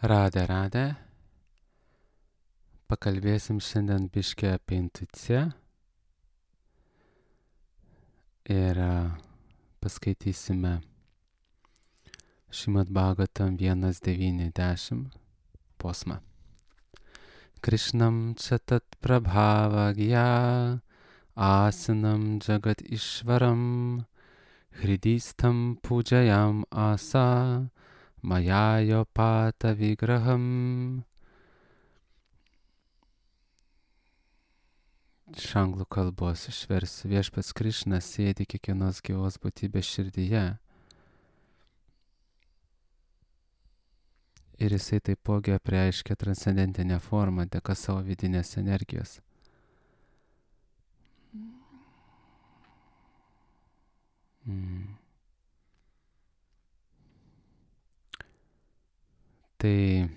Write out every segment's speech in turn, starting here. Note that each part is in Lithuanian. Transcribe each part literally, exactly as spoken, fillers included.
Radę, radę. Pakalbėsim šiandien biškį apie intuiciją ir paskaitysime Šrimad Bhagavatam vienas devyni dešimt posmą. Krishnam chatat prabhavagya asinam jagat ishvaram hridistam pujayam asa mayayo pata vigraham. Iš anglų kalbos išversiu: Viešpats Krišna sėdi kiekvienos gyvos būtybės širdyje ir jisai taipogi apreiškia transcendentinę formą dėka savo vidinės energijos. Mm. Tai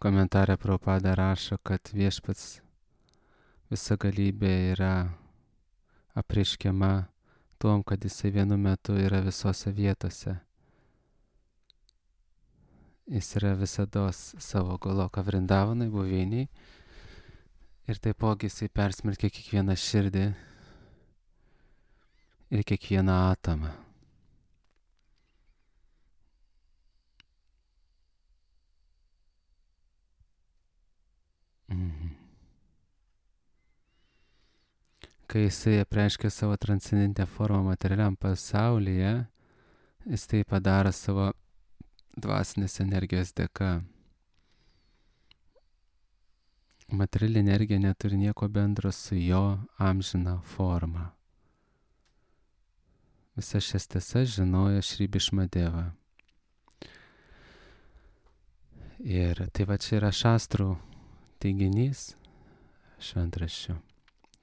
komentarė Prabhupada rašo, kad viešpats visagalybė yra apreiškiama tuom, kad jisai vienu metu yra visose vietose. Jis yra visados savo Goloka Vrindavanai buveinėj ir taipogi jisai persmelkia kiekvieną širdį ir kiekvieną atomą. Mhm. Kai jisai apreiškia savo transcendentinę formą materialiam pasaulyje, jis tai padaro savo dvasinės energijos dėka. Materiali energija neturi nieko bendro su jo amžina forma. Visas šias tiesas žinojo Šri Bhišmadeva. Ir tai va čia yra šastrų teiginys šventraščių,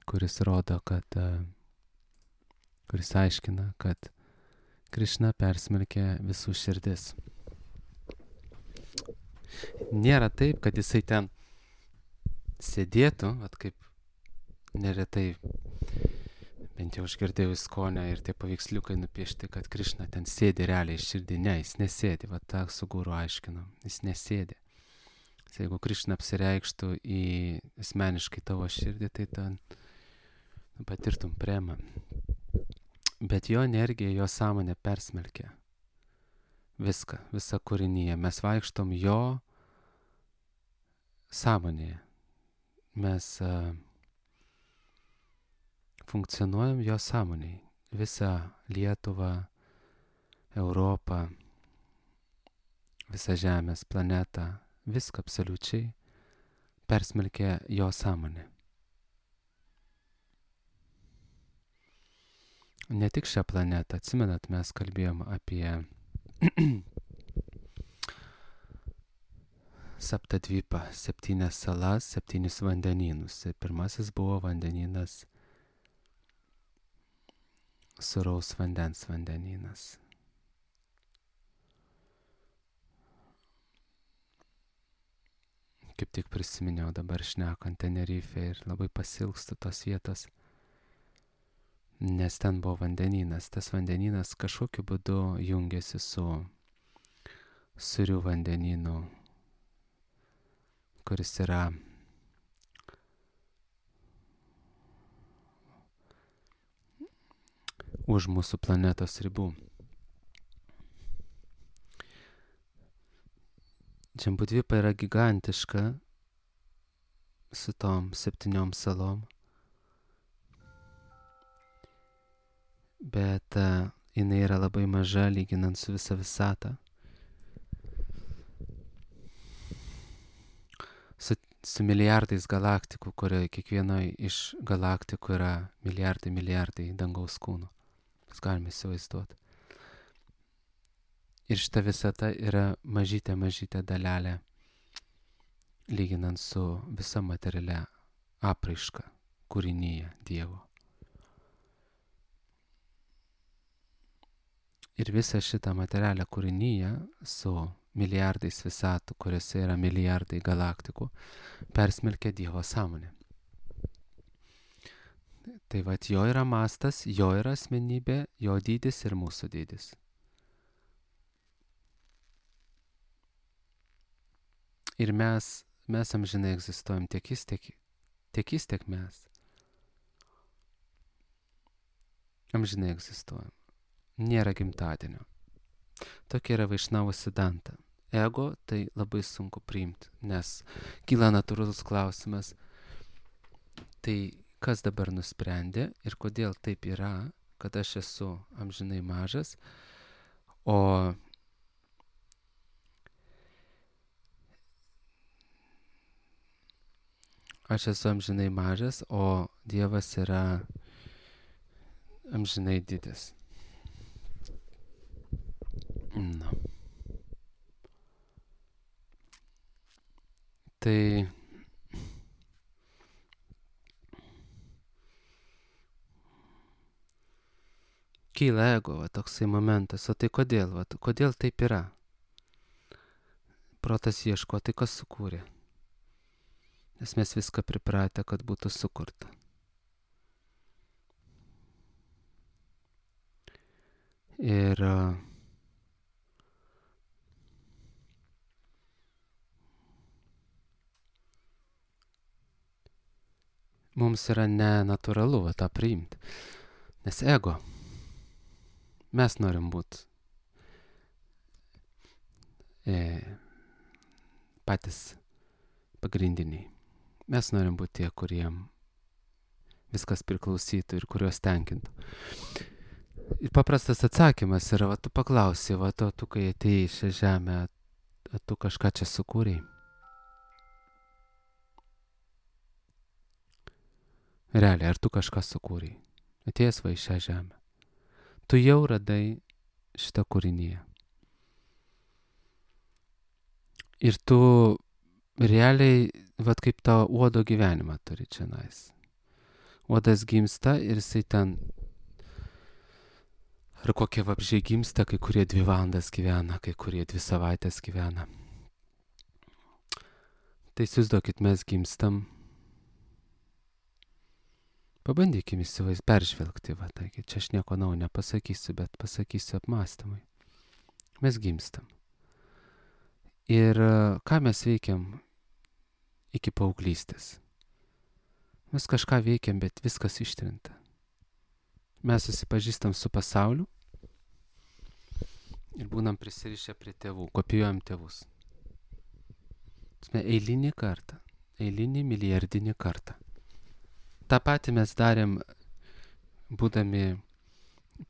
kuris rodo, kad, kuris aiškina, kad Krišna persmelkia visų širdis. Nėra taip, kad jisai ten sėdėtų, vat kaip neretai, bent jau aš girdėjau Iskonę ir tie paveiksliukai nupiešti, kad Krišna ten sėdi realiai širdį. Ne, jis nesėdi, vat tą su guru aiškino, jis nesėdi. Jeigu Krišna apsireikštų į asmeniškai tavo širdį, tai ten patirtum premą. Bet jo energija, jo sąmonė persmelkia viską, visą kūrinyje. Mes vaikštom jo sąmonėje. Mes uh, funkcionuojam jo sąmonėje. Visą Lietuvą, Europą, visą Žemės planetą, viską absoliučiai persmelkia jo sąmonė. Ne tik šią planetą, atsimenat, mes kalbėjom apie Saptadvipą, septynias salas, septynis vandenynus. Pirmasis buvo vandenynas, sūraus vandens vandenynas. Kaip tik prisiminiau dabar šnekant Tenerife ir labai pasilgstu tos vietos, nes ten buvo vandenynas. Tas vandenynas kažkokiu būdu jungiasi su Surių vandenynu, kuris yra už mūsų planetos ribų. Džambudvipa yra gigantiška su tom septyniom salom, bet uh, jinai yra labai maža lyginant su visa visata. Su, su milijardais galaktikų, kurioje kiekvienoje iš galaktikų yra milijardai, milijardai dangaus kūnų. Mes galime įsivaizduoti. Ir šita visata yra mažytė, mažytė dalelė, lyginant su visa materialia apraiška kūrinyje Dievo. Ir visą šitą materialią kūrinyje su milijardais visatų, kuriuose yra milijardai galaktikų, persmelkia Dievo sąmonė. Tai vat jo yra mastas, jo yra asmenybė, jo dydis ir mūsų dydis. Ir mes, mes amžinai egzistuojam, tiek jis, tiek, tiek jis, tiek mes. Amžinai egzistuojam. Nėra gimtadienio. Tokia yra Vaišnavų Siddhanta. Ego tai labai sunku priimti, nes kyla natūralus klausimas, tai kas dabar nusprendė ir kodėl taip yra, kad aš esu amžinai mažas, o aš esu amžinai mažas, o Dievas yra amžinai didis. Na. Tai kyla ego, va, toksai momentas. O tai kodėl? Va, kodėl taip yra? Protas ieško, tai kas sukūrė? Nes mes viską pripratę, kad būtų sukurta. Ir mums yra nenatūralu va, tą priimti. Nes ego, mes norim būti e, patys pagrindiniai. Mes norim būti tie, kuriem viskas priklausytų ir kuriuos tenkintų. Ir paprastas atsakymas yra, va tu paklausi, va to, tu kai atėjai į šią žemę, tu kažką čia sukūrei. Realiai, ar tu kažką sukūrei? Atėjęs va į šią žemę. Tu jau radai šitą kūrinyje. Ir tu realiai, va kaip tavo uodo gyvenimą turi čia nais. Uodas gimsta ir jisai ten, ar kokie vabžiai gimsta, kai kurie dvi valandas gyvena, kai kurie dvi savaitės gyvena. Tai įsivaizduokit, mes gimstam. Pabandykim įsivaiz peržvelgti, va, taigi čia aš nieko naujo nepasakysiu, bet pasakysiu apmąstymui. Mes gimstam. Ir ką mes veikiam iki paauglystės? Mes kažką veikiam, bet viskas ištrinta. Mes susipažįstam su pasauliu ir būnam prisirišę prie tėvų, kopijuojam tėvus. Eilinį kartą, eilinį milijardinį kartą. Ta patį mes darėm, būdami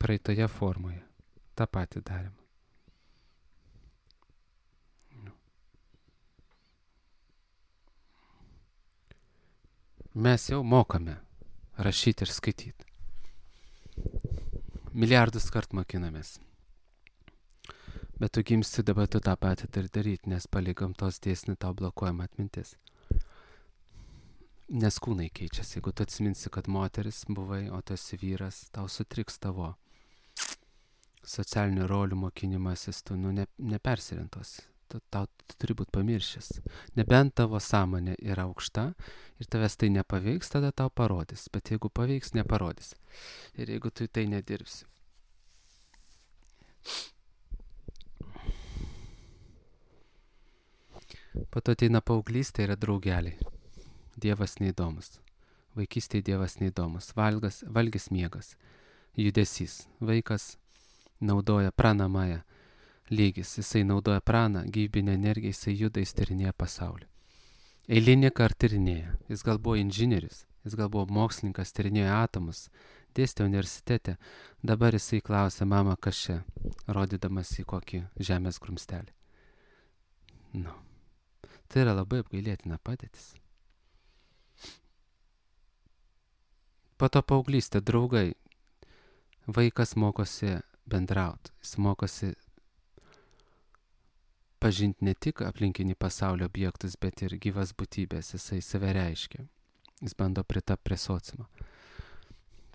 praeitoje formoje. Ta patį darėm. Mes jau mokame rašyti ir skaityti. Milijardus kart mokinamės. Bet tu gimsti, dabar tu tą patį turi daryti, nes palei gamtos dėsnį tau blokuojama atmintis. Nes kūnai keičiasi. Jeigu tu atsiminsi, kad moteris buvai, o tu esi vyras, tau sutriks tavo socialinių rolių mokinimasis, tu nu, ne, nepersirintos. Tu, tau tu turi būti pamiršęs. Nebent tavo sąmonė yra aukšta ir tavęs tai nepaveiks, tada tau parodys. Bet jeigu paveiks, neparodys. Ir jeigu tu tai nedirbsi. Po to ateina paauglystė, yra draugeliai. Dievas neįdomus. Vaikystėje Dievas neįdomus. Valgas, valgis miegas. Judesys. Vaikas naudoja pranamąją lygis. Jisai naudoja praną, gyvybinę energiją, jisai juda, jis tyrinėja pasaulį. Eilinį kartą tyrinėja. Jis gal buvo inžinierius, jis gal buvo mokslininkas, tyrinėjo atomus, dėstė universitete. Dabar jisai klausia, mama, kas čia, rodydamas į kokį žemės grumstelį. Nu. Tai yra labai apgailėtina padėtis. Po to paauglystė, draugai. Vaikas mokosi bendrauti. Jis mokosi pažinti ne tik aplinkinį pasaulio objektus, bet ir gyvas būtybės. Jisai save reiškia. Jis bando pritapti prie sociumo.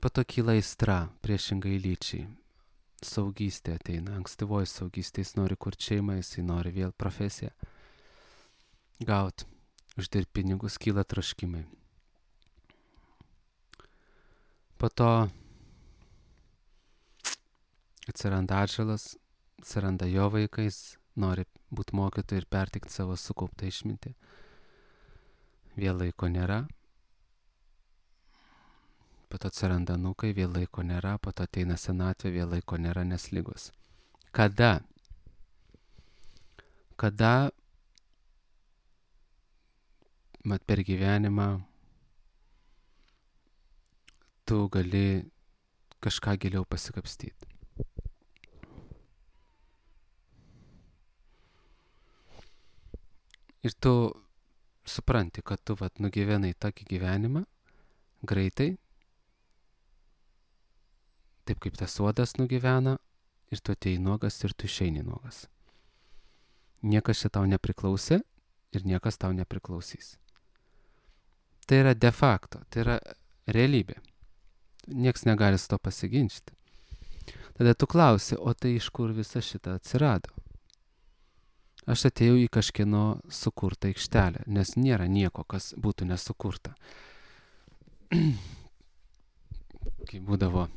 Po to kyla aistra, priešingai lyčiai. Saugystė ateina. Ankstyvoji saugystė. Jis nori kurti šeimą, jisai nori vėl profesiją gauti. Uždirbti pinigus, kyla troškimai. Po to atsiranda atžalas, atsiranda jo vaikais, nori būti mokytoju ir pertikti savo sukauptą išmintį. Vėl laiko nėra, po to atsiranda anūkai, vėl laiko nėra, po to ateina senatvė, vėl laiko nėra, nes ligos. Kada? Kada mat per gyvenimą tu gali kažką giliau pasikapstyti. Ir tu supranti, kad tu vat nugyvenai tokį gyvenimą greitai, taip kaip tas uodas nugyvena, ir tu atėjai nuogas ir tu išeini nuogas. Niekas čia tau nepriklausė ir niekas tau nepriklausys. Tai yra de facto, tai yra realybė. Niekas negali su to pasiginčyti. Tada tu klausi, o tai iš kur visa šita atsirado? Aš atėjau į kažkieno sukurtą aikštelę, nes nėra nieko, kas būtų nesukurta. Kai būdavo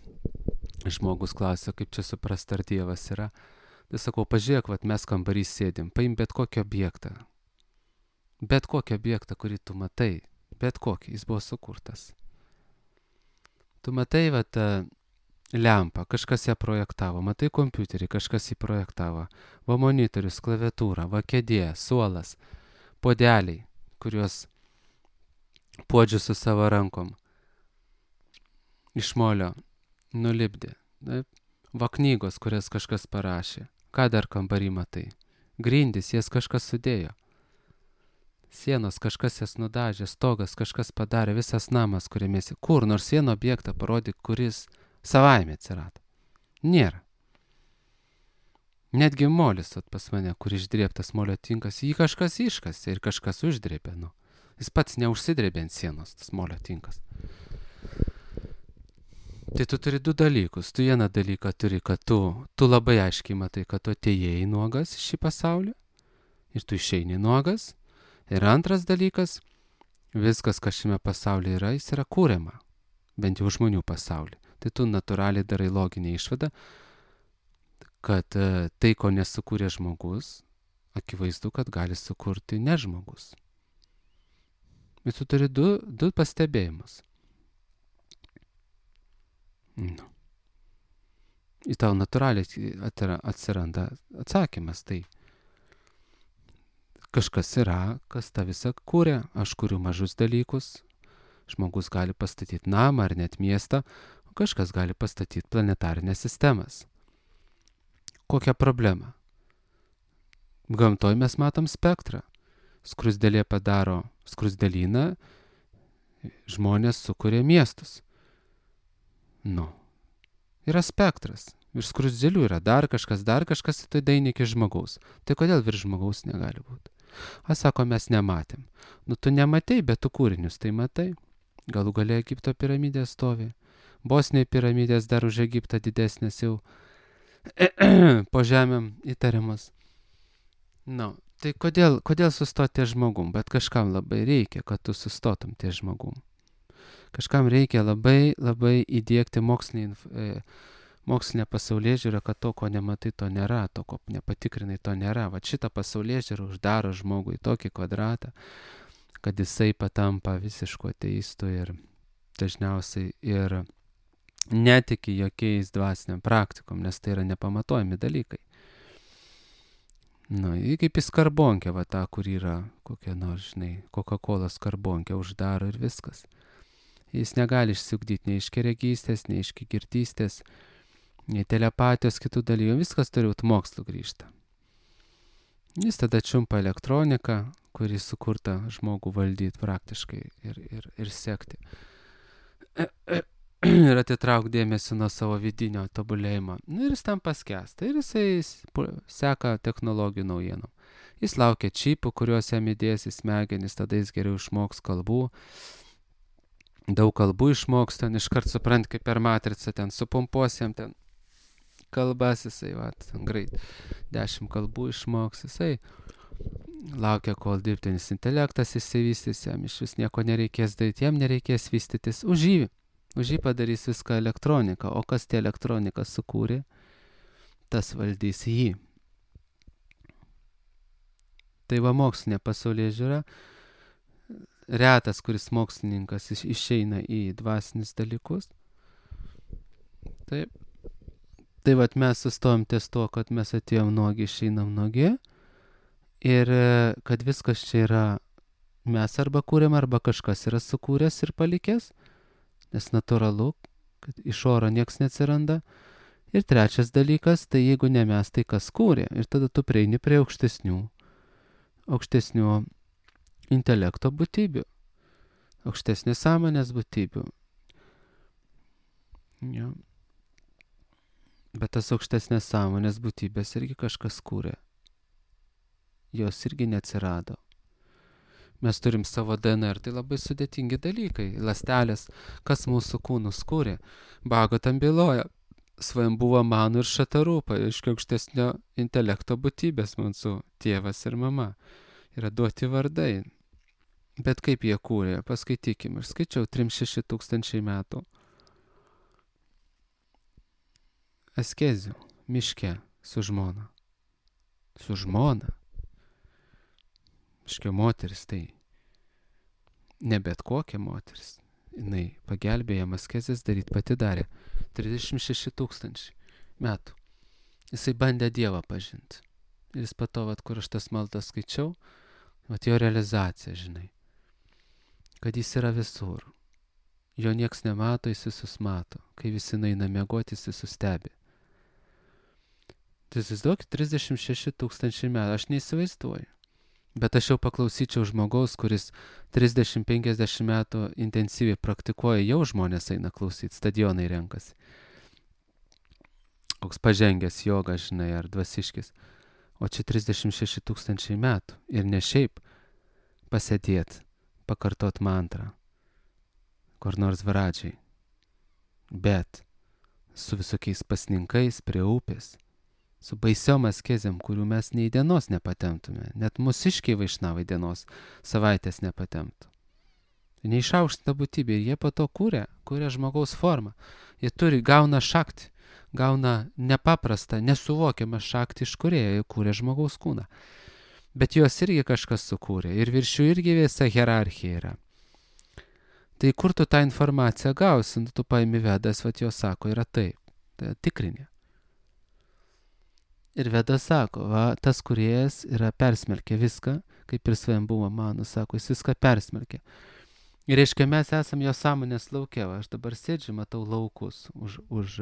žmogus klausia, kaip čia suprasti, ar Dievas yra, tai sakau, pažiūrėk, vat mes kambarys sėdim, paim bet kokį objektą. Bet kokį objektą, kurį tu matai, bet kokį, jis buvo sukurtas. Tu matai, vat, lempą, kažkas ją projektavo, matai kompiuterį, kažkas jį projektavo, va monitorius, klaviatūra, va kėdė, suolas, puodeliai, kuriuos puodžiu su savo rankom iš molio nulipdė. Taip? Va knygos, kurias kažkas parašė. Ką dar kambarį matai? Grindys, jas kažkas sudėjo. Sienos, kažkas jas nudažė, stogas, kažkas padarė, visas namas, kuriame esi. Kur nors vieną objektą parodyk, kuris savaime atsirado. Nėra. Netgi molis vat, pas mane, kur išdrėbtas molio tinkas, jį kažkas iškasė ir kažkas uždrėbė. Nu. Jis pats neužsidrėbė ant sienos, tas molio tinkas. Tai tu turi du dalykus. Tu vieną dalyką turi, kad tu, tu labai aiškiai matai, kad tu atėjai nuogas į šį pasaulį ir tu išeini nuogas. Ir antras dalykas, viskas, kas šiame pasaulyje yra, jis yra kūriama, bent jau žmonių pasaulyje. Tai tu natūraliai darai loginę išvadą, kad tai, ko nesukūrė žmogus, akivaizdu, kad gali sukurti ne žmogus. Ir tu turi du, du pastebėjimus. Nu. Į tau natūraliai atsiranda atsakymas. Tai kažkas yra, kas tą visą kūrė. Aš kuriu mažus dalykus. Žmogus gali pastatyti namą ar net miestą, o kažkas gali pastatyti planetarinės sistemas. Kokia problema? Gamtoj mes matom spektrą. Skruzdėlė padaro skruzdėlyną, žmonės sukuria miestus. Nu, yra spektras. Virš skruzdėlių yra dar kažkas, dar kažkas, tai daeina iki žmogaus. Tai kodėl virš žmogaus negali būti? A, sako, mes nematėm. Nu, tu nematei, bet tu kūrinius tai matai. Galų gale Egipto piramidės stovi. Bosniai piramidės dar už Egiptą didesnės jau po žemėm įtariamas. Nu, tai kodėl, kodėl sustoti ties žmogum? Bet kažkam labai reikia, kad tu sustotum ties žmogum. Kažkam reikia labai, labai įdiegti mokslinį, e, mokslinę pasaulėžiūrą, kad to, ko nematai, to nėra, to, ko nepatikrinai, to nėra. Va šitą pasaulėžiūrą uždaro žmogui tokį kvadratą, kad jisai patampa visišku ateistu ir dažniausiai ir netiki jokiais dvasiniam praktikom, nes tai yra nepamatuojami dalykai. Nu, kaip į skarbonkę, va tą, kur yra kokia nors, žinai, Coca-Cola skarbonkę uždaro ir viskas. Jis negali išsiugdyti nei iš keregystės, nei iš girdystės, nei telepatijos, kitų dalykų. Viskas turi būti mokslu grįžta. Jis tada čiumpa elektroniką, kuri sukurta žmogų valdyti praktiškai ir, ir, ir sekti. Ir atitrauk dėmesį nuo savo vidinio tobulėjimo. Nu, ir jis tam paskęsta. Ir jisai seka technologijų naujienom. Jis laukia čipų, kuriuos jam įdės į smegenis, tada jis geriau išmoks kalbų. Daug kalbų išmoks, ten iškart suprant, kaip per matricą, ten supumpuosiam ten kalbas, jisai, va, greit, dešimt kalbų išmoks, jisai laukia, kol dirbtinis intelektas išsivystys, jam iš vis nieko nereikės daryti, jam nereikės vystytis, už jį, už jį padarys viską elektronika, o kas tie elektronika sukūrė, tas valdys jį. Tai va mokslinė pasaulyje žiūra, retas, kuris mokslininkas iš, išeina į dvasinius dalykus. Taip. Tai vat mes sustojom ties to, kad mes atėjom nuogi, išeinam nuogi. Ir kad viskas čia yra mes arba kūrėm, arba kažkas yra sukūręs ir palikęs. Nes natūralu, kad iš oro nieks neatsiranda. Ir trečias dalykas, tai jeigu ne mes, tai kas kūrė. Ir tada tu prieini prie aukštesnių, aukštesnių intelekto būtybių, aukštesnės sąmonės būtybių. Ja. Bet tas aukštesnės sąmonės būtybės irgi kažkas kūrė. Jos irgi neatsirado. Mes turim savo D N R, tai labai sudėtingi dalykai. Ląstelės, kas mūsų kūnus kūrė. Bago tam byloja. Svajambuva manų ir šatarūpa, aiškiai aukštesnio intelekto būtybės mūsų tėvas ir mama. Yra duoti vardai. Bet kaip jie kūrė, paskaitykim. Aš skaičiau trims šeši tūkstančiai metų. Askezių, miške, su žmona. Su žmona. Miškio moteris, tai ne bet kokia moteris. Jinai pagelbėjo jam askezės daryti, pati darė. trisdešimt šeši tūkstančiai metų. Jisai bandė Dievą pažinti. Ir jis po to, vat, kur aš tas maldas skaičiau, vat jo realizacija, žinai. Kad jis yra visur. Jo nieks nemato, jis visus mato. Kai visi naina miegoti, jis visus stebi. Tai įsivaizduokit, trisdešimt šeši tūkstančiai metų. Aš neįsivaizduoju. Bet aš jau paklausyčiau žmogaus, kuris trisdešimt penkiasdešimt metų intensyviai praktikuoja, jau žmonės eina klausyti, stadionai renkasi. Koks pažengęs joga, žinai, ar dvasiškis. O čia trisdešimt šeši tūkstančiai metų. Ir ne šiaip pasėdėt, pakartot mantrą, kur nors varadžiai. Bet su visokiais pasninkais prie upės. Su baisiom askezėm, kurių mes nei dienos nepatemptume. Net mūsiškiai vaišnavai dienos savaitės nepatemptų. Neišaukštinta būtybė. Ir jie po to kūrė, kūrė žmogaus formą. Jie turi, gauna šaktį, gauna nepaprastą, nesuvokiamą šaktį iš kūrėjo, jie kūrė žmogaus kūną. Bet juos irgi kažkas sukūrė. Ir virš jų irgi visa hierarchija yra. Tai kur tu tą informaciją gausi? Nu, tu paimi Vedas, vat jo sako, yra taip. Tai tikrinė. Ir Veda sako, va, tas kūrėjas yra persmelkę viską, kaip ir Svajambuva mano, sako, jis viską persmelkę. Ir reiškia, mes esam jo sąmonės lauke, va, aš dabar sėdžiu, matau laukus už, už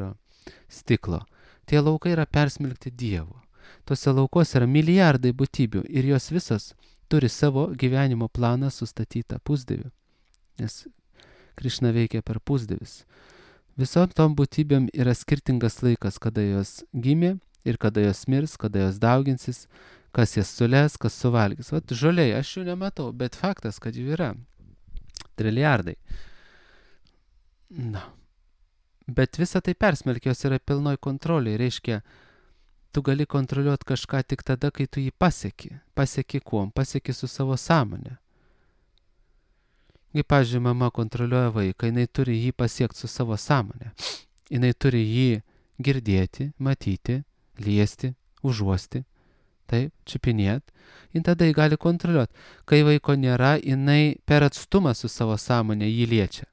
stiklo. Tie laukai yra persmelkti Dievo. Tuose laukose yra milijardai būtybių ir jos visos turi savo gyvenimo planą sustatytą pusdieviu. Nes Krišna veikia per pusdievis. Visom tom būtybėm yra skirtingas laikas, kada jos gimė, ir kada jos mirs, kada jos dauginsis, kas jas sulės, kas suvalgys. Vat žoliai, aš jų nematau, bet faktas, kad jų yra. Triliardai. Na. Bet visa tai persmelkios yra pilnoj kontroliai. Reiškia, tu gali kontroliuoti kažką tik tada, kai tu jį pasieki. Pasieki kuom? Pasieki su savo sąmonė. Kaip, pavyzdžiui, mama kontroliuoja vaiką, jinai turi jį pasiekti su savo sąmonė. Jinai turi jį girdėti, matyti, liesti, užuosti, taip, čiupinėt, ir tada jį gali kontroliuoti. Kai vaiko nėra, jinai per atstumą su savo sąmonė jį liečia.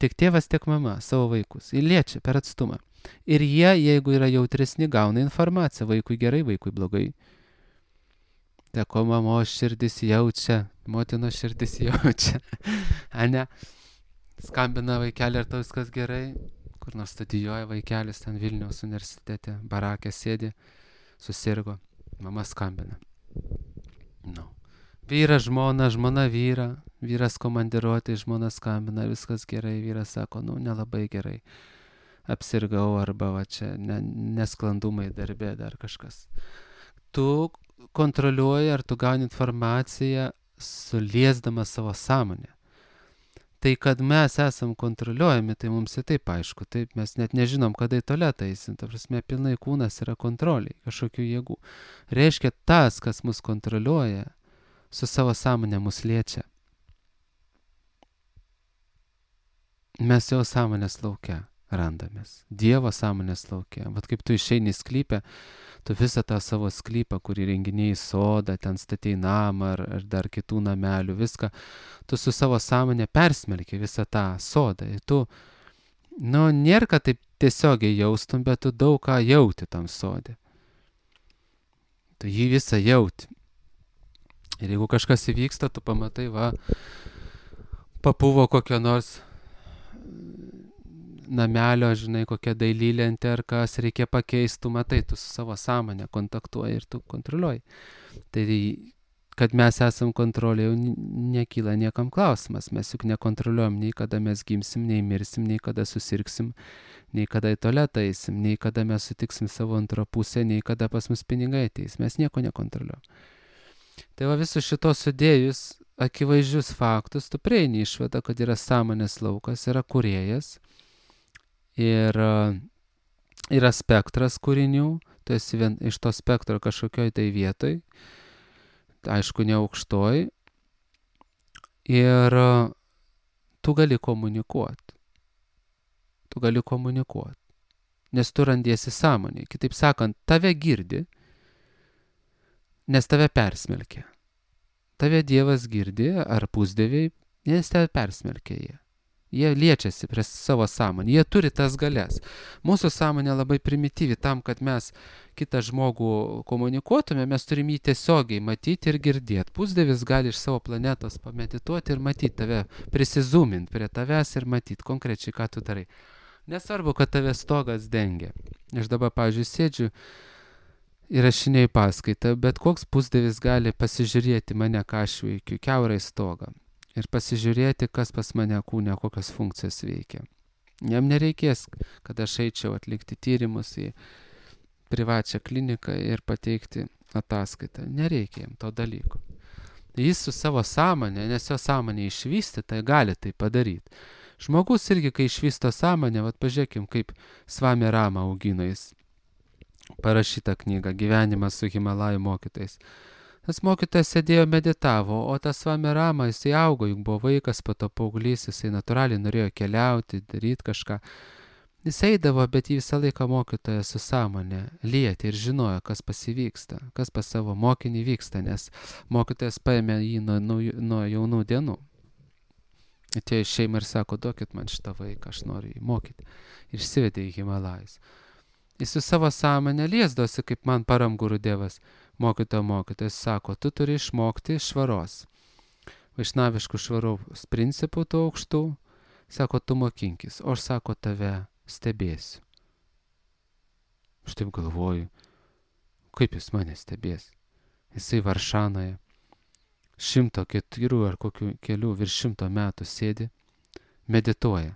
Tiek tėvas, tiek mama savo vaikus. Jį liečia per atstumą. Ir jie, jeigu yra jautresni, gauna informaciją. Vaikui gerai, vaikui blogai. Teko mamos širdis jaučia, motinos širdis jaučia. Ane? Skambina vaikelį, ar tau viskas gerai? Kur nors studijuoja vaikelis, ten Vilniaus universitete, barakė sėdi, susirgo, mama skambina. No. Vyras žmona, žmona vyra, vyras komandiruoti, žmona skambina, viskas gerai, vyras sako, nu, nelabai gerai, apsirgau arba va čia ne, nesklandumai darbė, dar kažkas. Tu kontroliuoji, ar tu gauni informaciją, suliesdama savo sąmonę. Tai, kad mes esam kontroliuojami, tai mums ir taip aišku, taip mes net nežinom, kada į tualetą eisim, ta prasme, pilnai kūnas yra kontroliai, kažkokių jėgų. Reiškia, tas, kas mus kontroliuoja, su savo sąmonė mus liečia. Mes jo sąmonės lauke randamės, Dievo sąmonės lauke. Vat kaip tu išeini į sklypę, tu visą tą savo sklypą, kurį renginiai sodą, ten statei namą ar, ar dar kitų namelių, viską, tu su savo sąmonė persmelki visą tą sodą. Ir tu, nu, nėra, kad taip tiesiogiai jaustum, bet tu daug ką jauti tam sodė. Tu jį visą jauti. Ir jeigu kažkas įvyksta, tu pamatai, va, papuvo kokio nors namelio, žinai, kokia dailylentė ar kas reikia pakeisti, tu matai, tu su savo sąmonė kontaktuoji ir tu kontroliuoji. Tai, kad mes esam kontrolė, jau nekyla niekam klausimas. Mes juk nekontroliuojam nei kada mes gimsim, nei mirsim, nei kada susirgsim, nei kada į tualetą eisim, nei kada mes sutiksim savo antrą pusę, nei kada pas mus pinigai ateis. Mes nieko nekontroliuojam. Tai va visus šitos sudėjus akivaizdžius faktus, tu prieini išvadą, kad yra sąmonės laukas, yra kūrėjas, ir yra spektras kūrinių, tu esi vien iš to spektro kažkokioj tai vietoj, aišku, ne aukštoj, ir tu gali komunikuoti. Tu gali komunikuoti, nes tu randiesi sąmonėje. Kitaip sakant, tave girdi, nes tave persmelkia. Tave Dievas girdi, ar pusdieviai, nes tave persmelkia jie. Jie liečiasi prie savo sąmonę, jie turi tas galias. Mūsų sąmonė labai primityvi, tam, kad mes kitą žmogų komunikuotume, mes turim jį tiesiogiai matyti ir girdėti. Pusdievis gali iš savo planetos pamedituoti ir matyti tave, prisizūminti prie tavęs ir matyti konkrečiai, ką tu darai. Nesvarbu, kad tave stogas dengia. Aš dabar, pavyzdžiui, sėdžiu įrašinėju paskaitą, bet koks pusdievis gali pasižiūrėti mane, ką aš veikiu, kiaurai stogą. Ir pasižiūrėti, kas pas mane kūne, kokios funkcijos veikia. Jam nereikės, kad aš eičiau atlikti tyrimus į privačią kliniką ir pateikti ataskaitą. Nereikia jam to dalyko. Jis su savo sąmonė, nes jo sąmonė išvystyta, gali tai padaryti. Žmogus irgi, kai išvysto sąmonę, vat pažiūrėkim, kaip Svami Rama augino jis parašytą knygą Gyvenimas su Himalajų mokytais. Tas mokytojas sėdėjo meditavo, o tas Svami Rama, jisai augo, juk buvo vaikas, po to paauglys, jisai natūraliai norėjo keliauti, daryti kažką. Jis eidavo, bet jį visą laiką mokytojas su sąmonė lietė ir žinojo, kas pasivyksta, kas pas savo mokinį vyksta, nes mokytojas paėmė jį nuo, nuo, nuo jaunų dienų. Atėjo į šeimą ir sako, duokit man šitą vaiką, aš noriu jį mokyti. Ir išsivedė į Himalajus. Jis su savo sąmonė liesdosi, kaip man Param Gurudevas. Mokytojo mokytojas sako, tu turi išmokti švaros. Vaišnaviškų švaros principų tų aukštų, sako, tu mokinkis, o aš, sako, tave stebėsiu. Aš taip galvoju, kaip jis mane stebės. Jisai Varšanoje šimto keturių ar kokių kelių virš šimto metų sėdi, medituoja.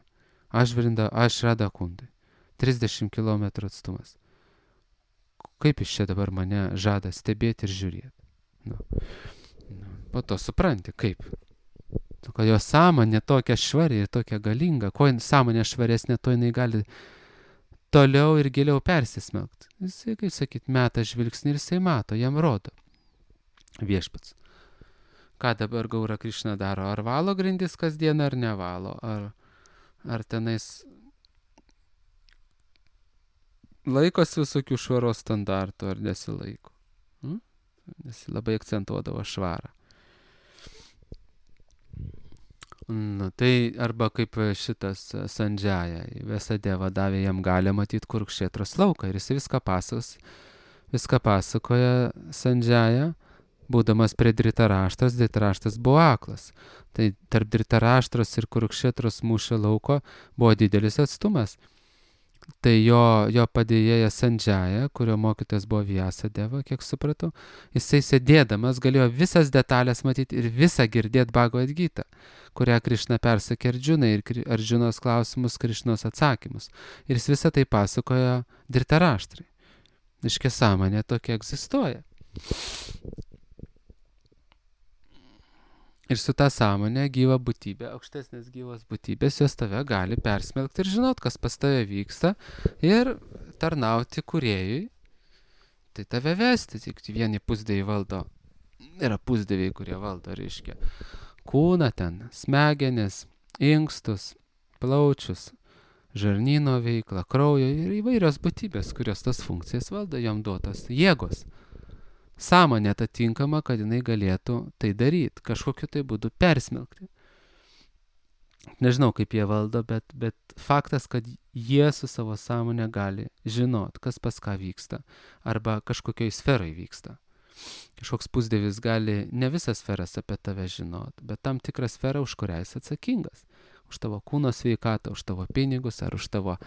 Aš Vrinda, aš Radakundai, trisdešimt kilometrų atstumas. Kaip jis čia dabar mane žada stebėti ir žiūrėti. Nu, nu, po to supranti, kaip. Tu, kad jo sąmonė tokia švari ir tokia galinga, kuo sąmonė švaresnė, to jinai gali toliau ir giliau persismelkti. Jisai, kaip sakyt, meta žvilgsnį ir jisai mato, jam rodo viešpats. Ką dabar Gaura Krišna daro? Ar valo grindis kasdien, ar nevalo? Ar, ar tenais laikosi visokių švaros standartų ar nesilaiko. Hmm? Nes labai akcentuodavo švarą. Nu, tai arba kaip šitas Sandžaja, Vesadeva davė jam galę matyti Kurukšetros lauką ir jis viską pasakos, viską pasakoja Sandžaja, būdamas prie Dritaraštros, Dritaraštras buvo aklas. Tai tarp Dritaraštros ir Kurukšetros mūšio lauko buvo didelis atstumas. Tai jo, jo padėjėja Sandžaja, kurio mokytojas buvo Vyasadeva, kiek supratau, jisai sėdėdamas galėjo visas detalės matyti ir visą girdėti Bhagavad Gitą, kurią Krišna persakė Arjunai ir Arjunos klausimus, Krišnos atsakymus. Ir jis visą tai pasakojo Dritaraštrai. Iškia sąmonė tokia egzistuoja. Ir su ta sąmonė gyva būtybė, aukštesnės gyvos būtybės, jos tave gali persmelkti ir žinot, kas pas tave vyksta ir tarnauti kūrėjui. Tai tave vesti, tik vieni pusdieviai valdo. Yra pusdieviai, kurie valdo, reiškia, kūną ten, smegenis, inkstus, plaučius, žarnyno veiklą, kraujo ir įvairios būtybės, kurios tas funkcijas valdo, jom duotos jėgos. Sąmonė atitinkama, kad jinai galėtų tai daryti, kažkokiu tai būdu persmelkti. Nežinau, kaip jie valdo, bet, bet faktas, kad jie su savo sąmonė gali žinot, kas pas ką vyksta, arba kažkokioj sferai vyksta. Kažkoks pusdievis gali ne visas sferas apie tave žinot, bet tam tikrą sferą, už kurią jis atsakingas. Už tavo kūno sveikatą, už tavo pinigus, ar už tavo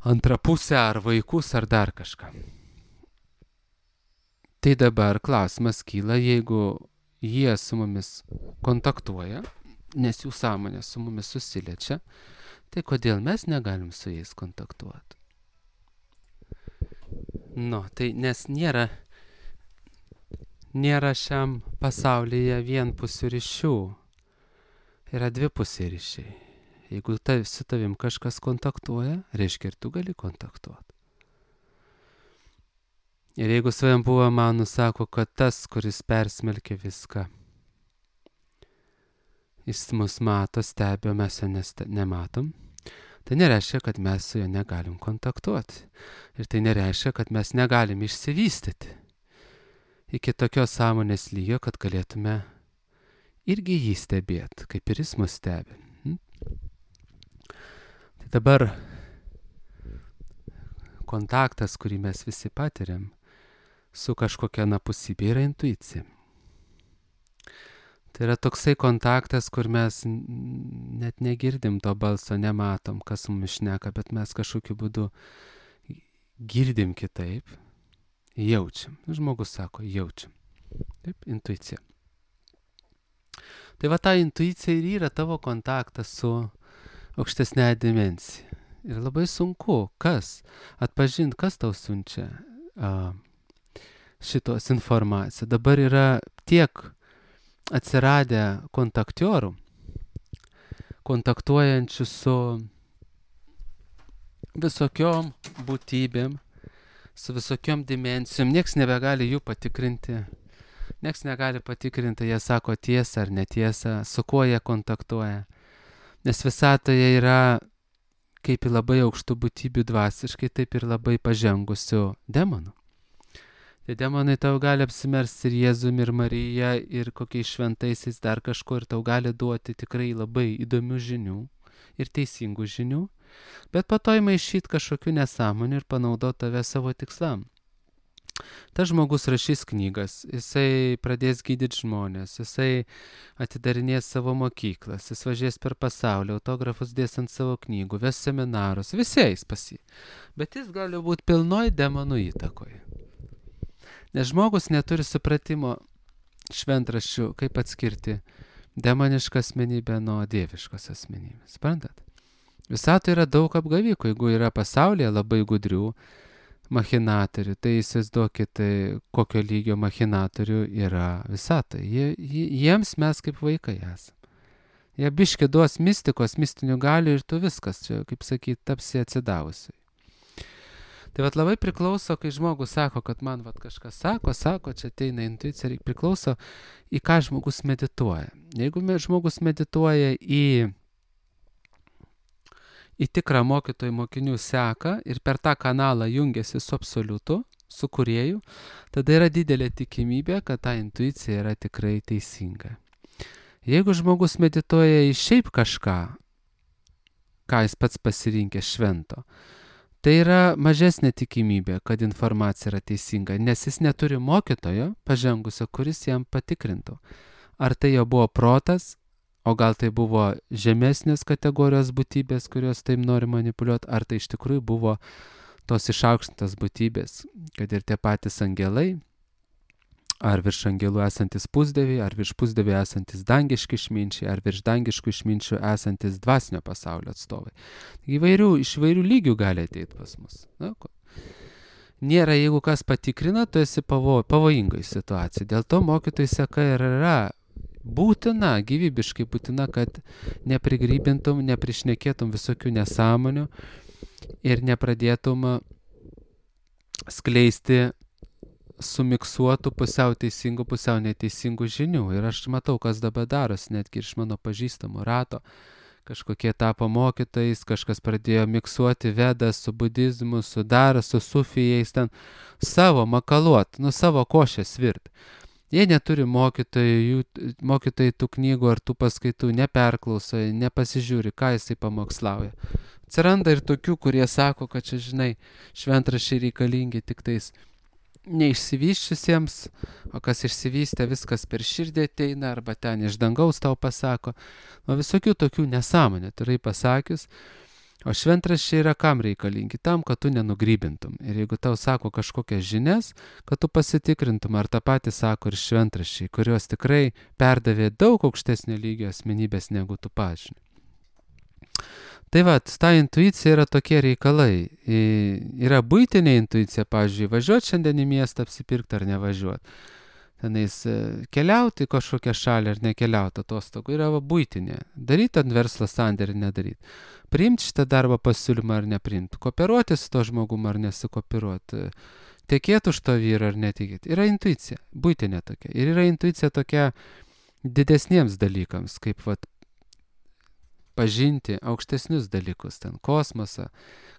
antrą pusę, ar vaikus, ar dar kažką. Tai dabar klausimas kyla, jeigu jie su mumis kontaktuoja, nes jų sąmonė su mumis susiliečia, tai kodėl mes negalim su jais kontaktuoti? Nu, tai nes nėra, nėra šiam pasaulyje vienpusių ryšių. Yra dvipusiai ryšiai. Jeigu ta, su tavim kažkas kontaktuoja, reiškia ir tu gali kontaktuoti. Ir jeigu savim buvo man nusako, kad tas, kuris persmelkia viską, jis mus mato, stebi, o mes jo neste, nematom, tai nereiškia, kad mes su juo negalim kontaktuoti. Ir tai nereiškia, kad mes negalim išsivystyti iki tokios sąmonės lygio, kad galėtume irgi jį stebėti, kaip ir jis mus stebi. Hm? Tai dabar kontaktas, kurį mes visi patiriam su kažkokia anapusybė, yra intuicija. Tai yra toksai kontaktas, kur mes net negirdim to balso, nematom, kas mums šneka, bet mes kažkokiu būdu girdim kitaip, jaučiam. Žmogus sako, jaučiam. Taip, intuicija. Tai va ta intuicija ir yra tavo kontaktas su aukštesnė dimensija. Ir labai sunku, kas atpažinti, kas tau siunčia a, šitos informaciją. Dabar yra tiek atsiradę kontaktiorų, kontaktuojančių su visokiom būtybėm, su visokiom dimensijom. Niekas nebegali jų patikrinti. Niekas negali patikrinti, jie sako tiesą ar netiesą, su kuo jie kontaktuoja. Nes visatoje yra kaip ir labai aukštų būtybių dvasiškai, taip ir labai pažengusių demonų. Tai demonai tau gali apsimersti ir Jėzum, ir Marija, ir kokiais šventaisiais dar kažko, ir tau gali duoti tikrai labai įdomių žinių ir teisingų žinių, bet po to įmaišyti kažkokių nesąmonių ir panaudoti tave savo tikslam. Tas žmogus rašys knygas, jisai pradės gydyti žmonės, jisai atidarinės savo mokyklas, jis važiės per pasaulį, autografus dės ant savo knygų, ves seminarus, visiais pas jį. Bet jis gali būti pilnoj demonų įtakoje. Nes žmogus neturi supratimo šventraščių, kaip atskirti demonišką asmenybę nuo dieviškos asmenybės. Suprantat? Visatoje yra daug apgavikų, jeigu yra pasaulyje labai gudrių machinatorių, tai įsivaizduokit, kokio lygio machinatorių yra visata. Jie, jiems mes kaip vaikai esame. Jie biški duos mistikos, mistinių galių ir tu viskas, čia, kaip sakyt, tapsi atsidavusiai. Tai vat labai priklauso, kai žmogus sako, kad man vat kažkas sako, sako, čia ateina intuicija, priklauso į ką žmogus medituoja. Jeigu žmogus medituoja į į tikrą mokytojų mokinių seką ir per tą kanalą jungiasi su absoliutu, su kūrėju, tada yra didelė tikimybė, kad ta intuicija yra tikrai teisinga. Jeigu žmogus medituoja į šiaip kažką, ką jis pats pasirinkė švento, tai yra mažesnė tikimybė, kad informacija yra teisinga, nes jis neturi mokytojo pažengusio, kuris jam patikrintų. Ar tai jo buvo protas, o gal tai buvo žemesnės kategorijos būtybės, kurios taip nori manipuliuoti, ar tai iš tikrųjų buvo tos išaukštintos būtybės, kad ir tie patys angelai, ar virš angelų esantis pusdieviai, ar virš pusdievių esantis dangiški išminčiai, ar virš dangiškų išminčių esantis dvasinio pasaulio atstovai. Įvairių, iš įvairių lygių gali ateiti pas mus. Na, nėra, jeigu kas patikrina, tu esi pavo, pavojingai situacijai. Dėl to mokytojų seka ir yra būtina, gyvybiškai būtina, kad neprigrybintum, neprišnekėtum visokių nesąmonių ir nepradėtum skleisti sumiksuotų pusiau teisingų, pusiau neteisingų žinių. Ir aš matau, kas dabar darosi, netgi iš mano pažįstamų rato, kažkokie tapo mokytojais, kažkas pradėjo miksuoti vedą su budizmu, su dar, su sufijais, ten savo makaluot, nu savo košės virt. Jie neturi mokytojų, jų, mokytojai tų knygų ar tų paskaitų neperklauso, nepasižiūri, ką jisai pamokslauja. Atsiranda ir tokių, kurie sako, kad čia, žinai, šventraščiai reikalingi tik tais neišsivyščiusiems, o kas išsivystė, viskas per širdį ateina, arba ten iš dangaus tau pasako. O visokių tokių nesąmonė, turai pasakius. O šventraščiai yra kam reikalingi? Tam, kad tu nenugrybintum. Ir jeigu tau sako kažkokias žinias, kad tu pasitikrintum, ar tą patį sako ir šventraščiai, kurios tikrai perdavė daug aukštesnio lygio asmenybės negu tu pažinai. Tai va, ta intuicija yra tokie reikalai. Yra buitinė intuicija, pavyzdžiui, važiuoti šiandien į miestą apsipirkti ar nevažiuoti. Tenais keliauti į kažkokią šalį ar nekeliauti atostogų yra va, buitinė. Daryti ant verslo sandėrį, nedaryti. Priimti šitą darbą pasiūlymą ar nepriimti. Kooperuoti su to žmogum ar nesikooperuoti. Tekėti už to vyrą ar netikėti. Yra intuicija, buitinė tokia. Ir yra intuicija tokia didesniems dalykams, kaip va, pažinti aukštesnius dalykus, ten kosmosą,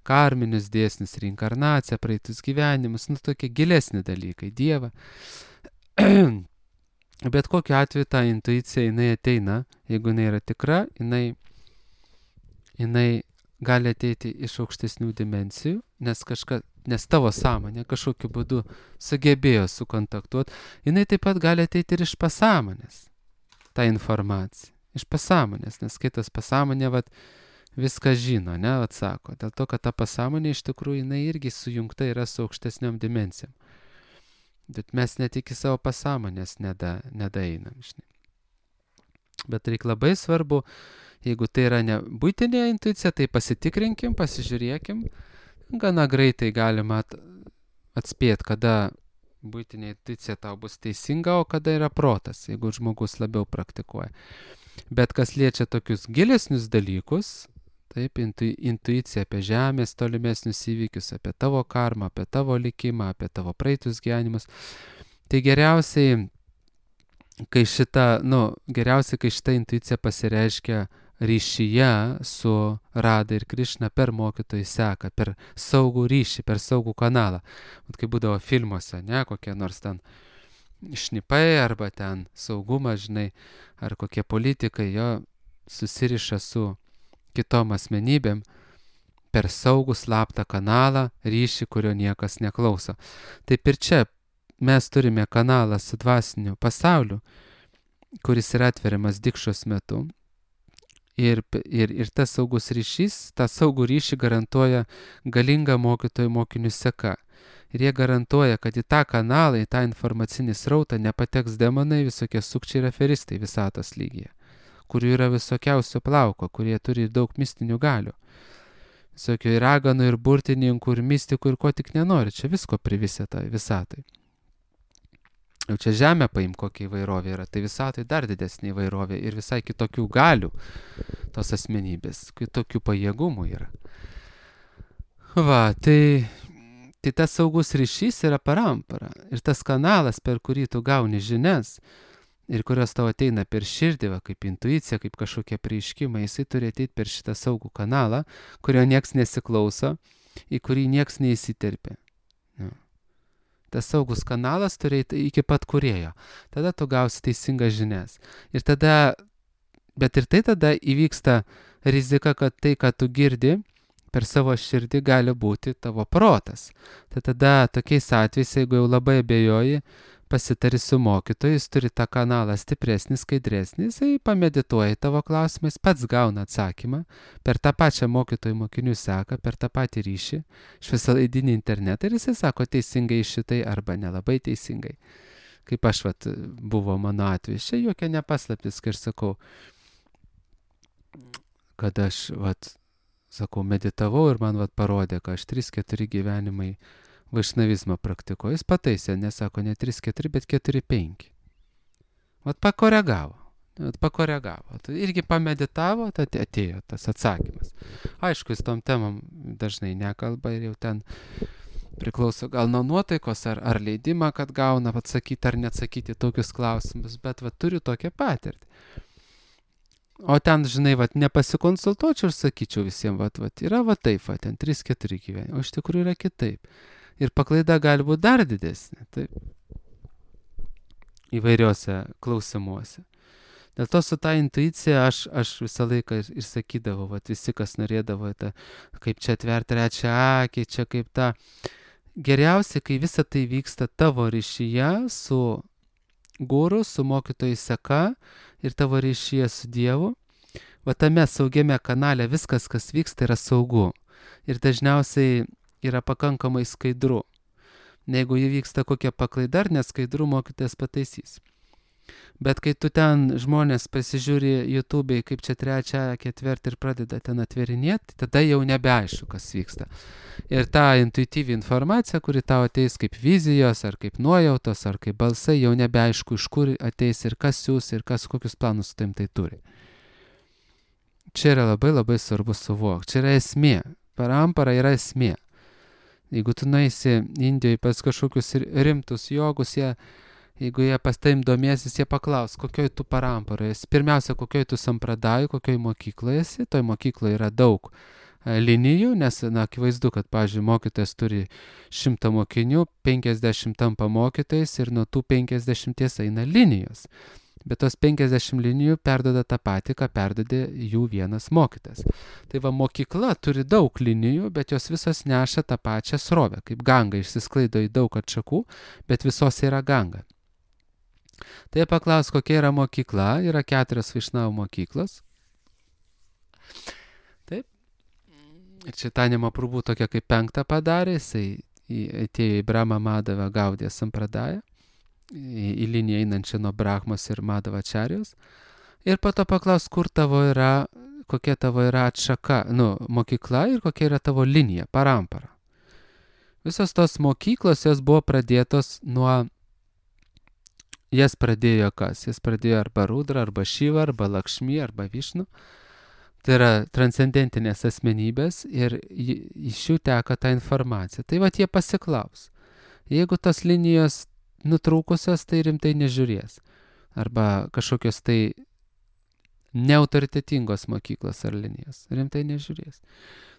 karminius dėsnius, reinkarnaciją, praeitus gyvenimus, nu tokie gilesni dalykai, Dievą. Bet kokiu atveju ta intuicija, jinai ateina, jeigu jinai yra tikra, jinai, jinai gali ateiti iš aukštesnių dimensijų, nes, kažka, nes tavo sąmonė kažkokiu būdu sugebėjo sukontaktuoti, jinai taip pat gali ateiti ir iš pasąmonės, ta informacija. Iš pasąmonės, nes kitas pasąmonė vat, viską žino, ne, atsako. Dėl to, kad ta pasąmonė iš tikrųjų jinai irgi sujungta yra su aukštesniom dimensijom. Bet mes net iki savo pasąmonės neda, nedaeinam. Žinai. Bet reikia labai svarbu, jeigu tai yra ne buitinė intuicija, tai pasitikrinkim, pasižiūrėkim. Gana greitai galima atspėti, kada buitinė intuicija tau bus teisinga, o kada yra protas, jeigu žmogus labiau praktikuoja. Bet kas liečia tokius gilesnius dalykus, taip, intu, intuicija apie žemės tolimesnius įvykius, apie tavo karmą, apie tavo likimą, apie tavo praeitus gyvenimus, tai geriausiai, kai šita, nu, geriausiai, kai šita intuicija pasireiškia ryšyje su Rada ir Krišna per mokytojų seką, per saugų ryšį, per saugų kanalą. Vat kai būdavo filmuose, ne, kokie nors ten šnipai arba ten saugumas, žinai, ar kokie politikai, jo susiriša su kitom asmenybėm per saugų slaptą kanalą, ryšį, kurio niekas neklauso. Taip ir čia mes turime kanalą su dvasiniu pasauliu, kuris yra atveriamas dikšos metu. Ir, ir, ir tas saugus ryšys, tą saugų ryšį garantuoja galinga mokytojų mokinių seka. Ir jie garantuoja, kad į tą kanalą, į tą informacinį srautą nepateks demonai, visokie sukčiai ir aferistai visatos lygyje, kurių yra visokiausio plauko, kurie turi daug mistinių galių. Visokių ir raganų, ir burtininkų, ir mistikų, ir ko tik nenori. Čia visko privisė tai visatai. Jau čia žemė paim, kokia įvairovė yra. Tai visatai dar didesnė įvairovė ir visai kitokių galių tos asmenybės, kitokių pajėgumų yra. Va, tai... Tai tas saugus ryšys yra parampara. Ir tas kanalas, per kurį tu gauni žinias ir kurios tau ateina per širdį, va, kaip intuicija, kaip kažkokie prieiškimai, jisai turi ateiti per šitą saugų kanalą, kurio nieks nesiklauso, į kurį nieks neįsiterpia. Ja. Tas saugus kanalas turi eiti iki pat kūrėjo. Tada tu gausi teisingas žinias. Ir tada, bet ir tai tada įvyksta rizika, kad tai, ką tu girdi, per savo širdį gali būti tavo protas. Tai tada tokiais atvejais, jeigu jau labai abejoji, pasitari su mokytoju, jis turi tą kanalą stipresnį, skaidresnį, jisai pamedituoja tavo klausimais, pats gauna atsakymą per tą pačią mokytojų mokinių seką, per tą patį ryšį, iš visalaidinį internetą ir jisai sako teisingai šitai arba nelabai teisingai. Kaip aš, vat, buvo mano atvejis, čia jokia nepaslaptis, kai aš sakau, kad aš, vat, sakau, meditavau ir man vat parodė, kad aš trys keturi gyvenimai vaišnavizmą praktikuoju. Jis pataisė, nesako ne trys keturi, bet keturi penki. Vat pakoregavo. Vat pakoregavo. Tai irgi pameditavo, tad atėjo tas atsakymas. Aišku, jis tom temam dažnai nekalba ir jau ten priklauso gal nuo nuotaikos ar, ar leidimą, kad gauna atsakyti ar neatsakyti tokius klausimus, bet vat turiu tokią patirtį. O ten, žinai, vat, nepasikonsultuočiau ir sakyčiau visiems, vat, vat, yra va taip, va, ten trys keturi gyveni, o iš tikrųjų yra kitaip. Ir paklaida gali būti dar didesnė, taip, įvairiuose klausimuose. Dėl to su ta intuicija aš, aš visą laiką ir, ir sakydavau, vat, visi, kas norėdavo, ta, kaip čia atverti trečią akį, čia kaip ta. Geriausia, kai visa tai vyksta tavo ryšyje su guru, su mokytojų seka ir tavo ryšyje su Dievu. Va tame saugiame kanale viskas, kas vyksta, yra saugu. Ir dažniausiai yra pakankamai skaidru. Jeigu įvyksta kokia paklaida ar neskaidru, mokytojas pataisys. Bet kai tu ten žmonės pasižiūri YouTube'ai, kaip čia trečią, ketvirtą ir pradeda ten atverinėti, tada jau nebeaišku, kas vyksta. Ir ta intuityvi informacija, kuri tau ateis kaip vizijos, ar kaip nuojautos, ar kaip balsai, jau nebeaišku, iš kur ateis ir kas siūs, ir kas kokius planus su tavim tai turi. Čia yra labai labai svarbu suvokti. Čia yra esmė. Parampara yra esmė. Jeigu tu nueisi Indijoje pas kažkokius rimtus jogus, jie Jeigu jie pas taim domėsis, jie paklaus, kokioj tu paramparoje esi. Pirmiausia, kokioj tu sampradaju, kokioj mokykloje esi. Toj mokykloje yra daug linijų, nes, na, akivaizdu, kad, pavyzdžiui, mokytojas turi šimtą mokinių, penkiasdešimt tampa mokytojais ir nuo tų penkiasdešimties eina linijos. Bet tos penkiasdešimt linijų perdoda tą patį, ką perdodė jų vienas mokytas. Tai va, mokykla turi daug linijų, bet jos visos neša tą pačią srovę. Kaip ganga išsisklaido į daug atšakų, bet visos yra ganga. Tai paklaus, kokia yra mokykla, yra keturios Vaišnavų mokyklos. Taip. Ir Čaitanija Mahaprabhu tokia kaip penktą padarė, jisai atėjo į Brahma Madhava Gaudiją Sampradają, į, į liniją einančią nuo Brahmos ir Madhavačarijos. Ir po to paklaus, kur tavo yra, kokia tavo yra atšaka, nu, mokykla ir kokia yra tavo linija, parampara. Visos tos mokyklos, jos buvo pradėtos nuo Jas pradėjo kas? Jas pradėjo arba Rudra, arba Šiva, arba Lakšmi, arba Višnu. Tai yra transcendentinės asmenybės ir iš jų teka ta informacija. Tai va, jie pasiklaus. Jeigu tos linijos nutrūkusios, tai rimtai nežiūrės. Arba kažkokios tai neautoritetingos mokyklos ar linijos. Rimtai nežiūrės.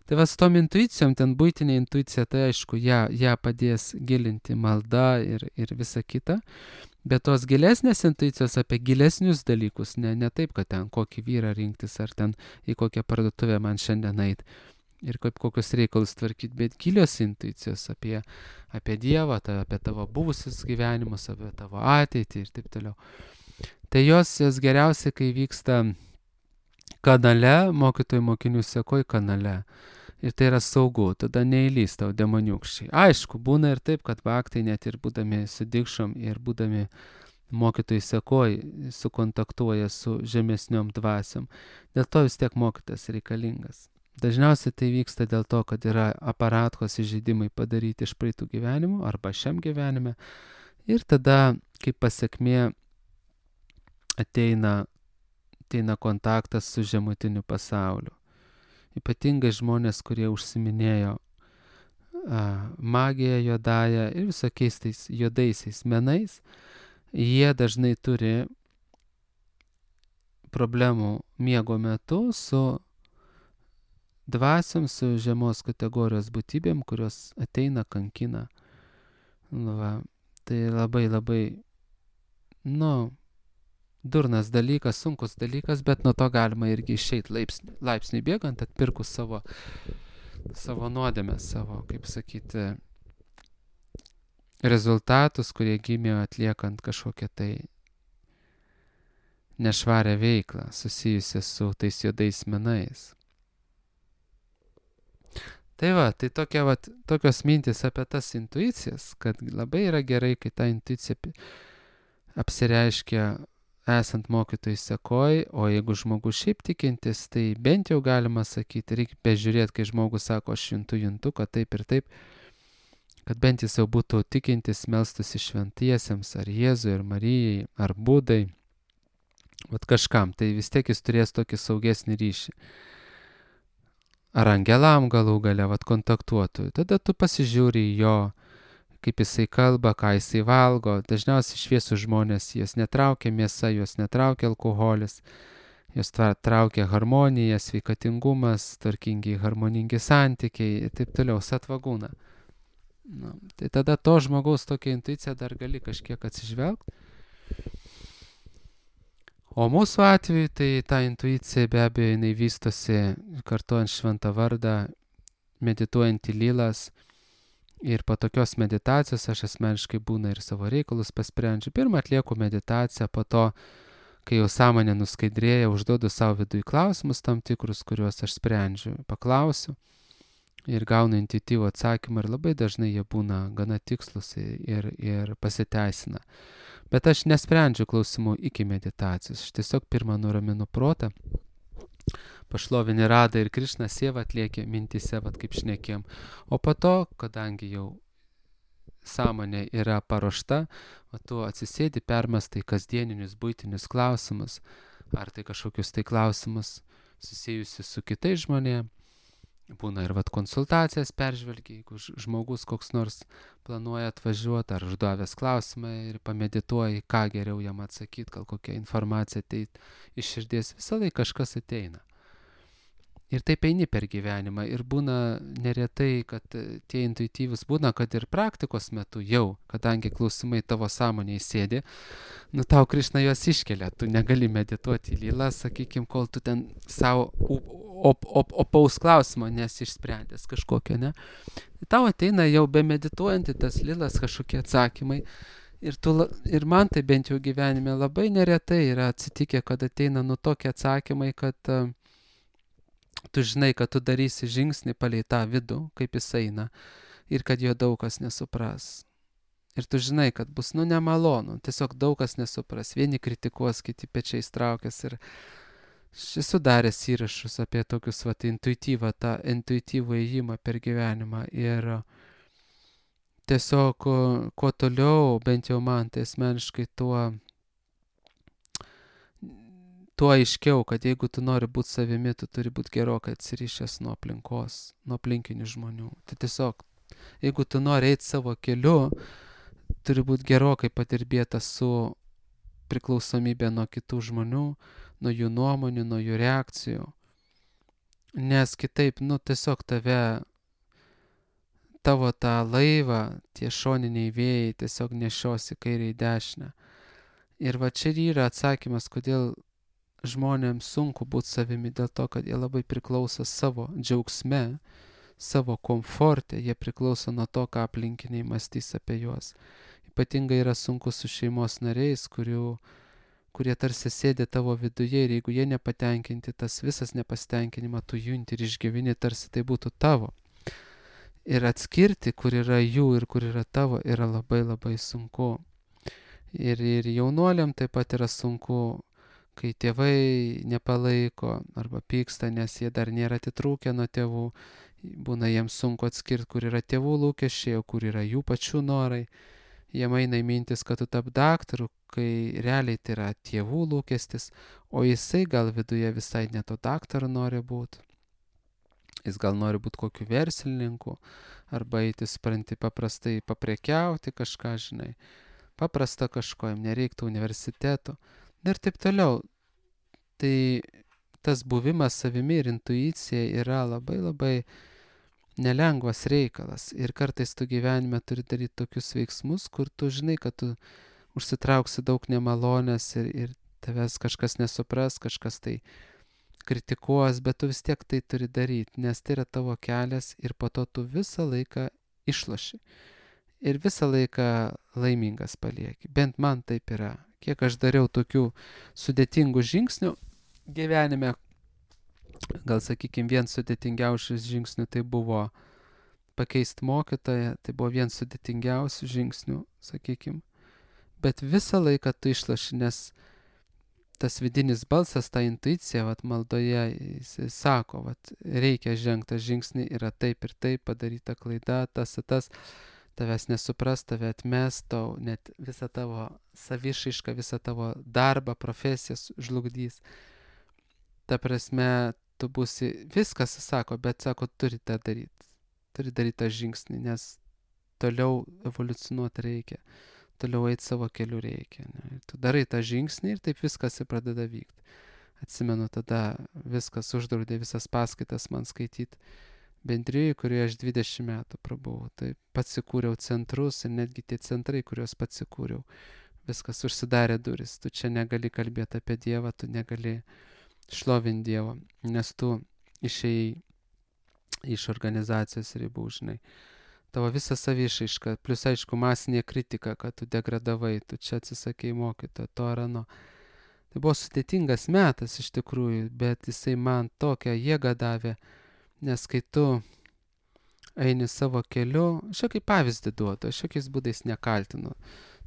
Tai va, su tom intuicijom, ten buitinė intuicija, tai aišku, ją, ją padės gilinti malda ir, ir visa kita. Bet tos gilesnės intuicijos apie gilesnius dalykus, ne, ne taip, kad ten kokį vyrą rinktis, ar ten į kokią parduotuvę man šiandien eit ir kaip kokius reikalus tvarkyti, bet gilios intuicijos apie, apie Dievą, ta, apie tavo buvusius gyvenimus, apie tavo ateitį ir taip toliau. Tai jos, jos geriausiai, kai vyksta kanale, mokytojų mokinių sekoj kanale. Ir tai yra saugu, tada neįlys tau demoniukščiai. Aišku, būna ir taip, kad baktai net ir būdami su dikšom ir būdami mokytojai sekoj sukontaktuoja su žemesniom dvasiom. Dėl to vis tiek mokytas reikalingas. Dažniausiai tai vyksta dėl to, kad yra aparatkos įžeidimai padaryti iš praeitų gyvenimų arba šiam gyvenime. Ir tada, kaip pasekmė, ateina, ateina kontaktas su žemutiniu pasauliu. Ypatingai žmonės, kurie užsiminėjo a, magiją juodąją ir visokiais tais juodaisiais menais, jie dažnai turi problemų miego metu su dvasiom, su žemos kategorijos būtybėm, kurios ateina, kankina. Va, tai labai labai, nu, durnas dalykas, sunkus dalykas, bet nuo to galima irgi išeiti laipsnį, laipsnį bėgant, atpirkus savo, savo nuodėmes, savo, kaip sakyti, rezultatus, kurie gimė atliekant kažkokią tai nešvarę veiklą susijusią su tais juodais menais. Tai va, tai tokia, va, tokios mintis apie tas intuicijas, kad labai yra gerai, kai ta intuicija apsireiškia esant mokytojai sekoj, o jeigu žmogus šiaip tikintis, tai bent jau galima sakyti, reikia bežiūrėti, kai žmogus sako, aš juntu, juntu, kad taip ir taip, kad bent jis jau būtų tikintis, melstųsi šventiesiems, ar Jėzui, ar Marijai, ar Budai, vat kažkam, tai vis tiek jis turės tokį saugesnį ryšį. Ar angelam galų gale, vat kontaktuotų, tada tu pasižiūri į jo, kaip jisai kalba, ką jisai valgo. Dažniausiai šviesų žmonės, jos netraukia mėsa, jos netraukia alkoholis. Jos traukia harmonija, sveikatingumas, tvarkingi, harmoningi santykiai ir taip toliau, satvagūna. Nu, tai tada to žmogaus tokia intuicija dar gali kažkiek atsižvelgti. O mūsų atveju tai ta intuicija be abejo jinai vystosi kartuojant šventą vardą, medituojant į lylas. Ir po tokios meditacijos aš asmeniškai būna ir savo reikalus pasprendžiu. Pirmą atlieku meditaciją, po to, kai jau sąmonė nuskaidrėja, užduodu savo vidui klausimus tam tikrus, kuriuos aš sprendžiu. Paklausiu ir gaunu intuityvų atsakymą ir labai dažnai jie būna gana tikslus ir, ir pasiteisina. Bet aš nesprendžiu klausimų iki meditacijos. Aš tiesiog pirmą nuraminu protą, pašlovini Radą ir Krišną, Sievą atlieki mintise, vat kaip šnekėjom. O po to, kadangi jau sąmonė yra paruošta, o tu atsisėdi, permąstai kasdieninius buitinius klausimus, ar tai kažkokius tai klausimus susijusius su kitais žmonėmis. Būna ir vat konsultacijas peržvelgi, jeigu žmogus koks nors planuoja atvažiuoti, ar užduovęs klausimą ir pamedituoji, ką geriau jam atsakyti, gal kokia informacija ateit iš širdies, visą laiką kažkas ateina. Ir taip eini per gyvenimą ir būna neretai, kad tie intuityvus būna, kad ir praktikos metu jau, kadangi klausimai tavo sąmonėje sėdi, nu tau Krišna juos iškelia, tu negali medituoti į lylą, sakykime, kol tu ten savo op, op, opaus klausimo nesi išsprendęs kažkokio, ne? Tau ateina jau be medituojant į tas lylas kažkokie atsakymai ir, tu, ir man tai bent jau gyvenime labai neretai yra atsitikę, kad ateina nu tokie atsakymai, kad uh, tu žinai, kad tu darysi žingsnį palei tą vidų, kaip jis eina, ir kad jo daug kas nesupras. Ir tu žinai, kad bus, nu, nemalonu, tiesiog daug kas nesupras. Vieni kritikuos, kiti pečiais traukės. Ir aš esu daręs įrašus apie tokius, vat, intuityvą, tą intuityvų ėjimą per gyvenimą. Ir tiesiog, kuo toliau, bent jau man, tai asmeniškai tuo tuo aiškiau, kad jeigu tu nori būti savimi, tu turi būti gerokai atsirišęs nuo aplinkos, nuo aplinkinių žmonių. Tai tiesiog, jeigu tu nori eiti savo keliu, turi būti gerokai padirbėtas su priklausomybė nuo kitų žmonių, nuo jų nuomonių, nuo jų reakcijų. Nes kitaip, nu, tiesiog tave, tavo tą laivą, tie šoniniai vėjai tiesiog nešiosi kairę į dešinę. Ir va čia yra atsakymas, kodėl žmonėms sunku būti savimi, dėl to, kad jie labai priklauso savo džiaugsme, savo komforte, jie priklauso nuo to, ką aplinkiniai mąstys apie juos. Ypatingai yra sunku su šeimos nariais, kurių, kurie tarsi sėdi tavo viduje ir jeigu jie nepatenkinti, tas visas nepasitenkinimą tu junti ir išgyveni, tarsi tai būtų tavo. Ir atskirti, kur yra jų ir kur yra tavo, yra labai labai sunku. Ir, ir jaunuoliam taip pat yra sunku, kai tėvai nepalaiko arba pyksta, nes jie dar nėra atitrūkę nuo tėvų, būna jiems sunku atskirti, kur yra tėvų lūkesčiai, o kur yra jų pačių norai. Jie eina į mintis, kad tu tap daktaru, kai realiai tai yra tėvų lūkestis, o jisai gal viduje visai ne to daktaru nori būti. Jis gal nori būti kokiu verslininku, arba eiti, supranti, paprastai paprekiauti kažką, žinai, paprasta kažko, jam nereiktų universitetų. Ir taip toliau. Tai tas buvimas savimi ir intuicija yra labai labai nelengvas reikalas. Ir kartais tu gyvenime turi daryti tokius veiksmus, kur tu žinai, kad tu užsitrauksi daug nemalonės ir, ir tavęs kažkas nesupras, kažkas tai kritikuos, bet tu vis tiek tai turi daryti, nes tai yra tavo kelias ir po to tu visą laiką išloši. Ir visą laiką laimingas palieki. Bent man taip yra. Kiek aš dariau tokių sudėtingų žingsnių gyvenime, gal sakykime, vien sudėtingiausias žingsnių tai buvo pakeisti mokytoją, tai buvo vien sudėtingiausių žingsnių, sakykime. Bet visą laiką tu išlaši, nes tas vidinis balsas, ta intuicija, vat, maldoje, jis sako, vat, reikia žengti žingsnį, yra taip ir taip, padaryta klaida, tas ir tas. Tavęs nesupras, tave atmes, tau net visą tavo savišaišką, visą tavo darbą, profesijas žlugdys. Ta prasme, tu būsi, viskas sako, bet sako, turi tą daryti. Turi daryti tą žingsnį, nes toliau evoliucionuoti reikia. Toliau eiti savo keliu reikia. Ne? Tu darai tą žingsnį ir taip viskas pradeda vykti. Atsimenu, tada viskas uždraudė, visas paskaitas man skaityti bendrijai, kurioje aš dvidešimt metų prabuvau. Tai pats įkūriau centrus ir netgi tie centrai, kuriuos pats įkūriau, viskas užsidarė duris. Tu čia negali kalbėti apie Dievą, tu negali šlovinti Dievą, nes tu išėjai iš organizacijos ribų, žinai. Tavo visa savišaiška, plus aišku masinė kritika, kad tu degradavai, tu čia atsisakei mokytojo, to ar ano. Tai buvo sudėtingas metas iš tikrųjų, bet jisai man tokią jėgą davė, nes kai tu eini savo keliu, aš kaip pavyzdį duodu, aš jokiais būdais nekaltinu.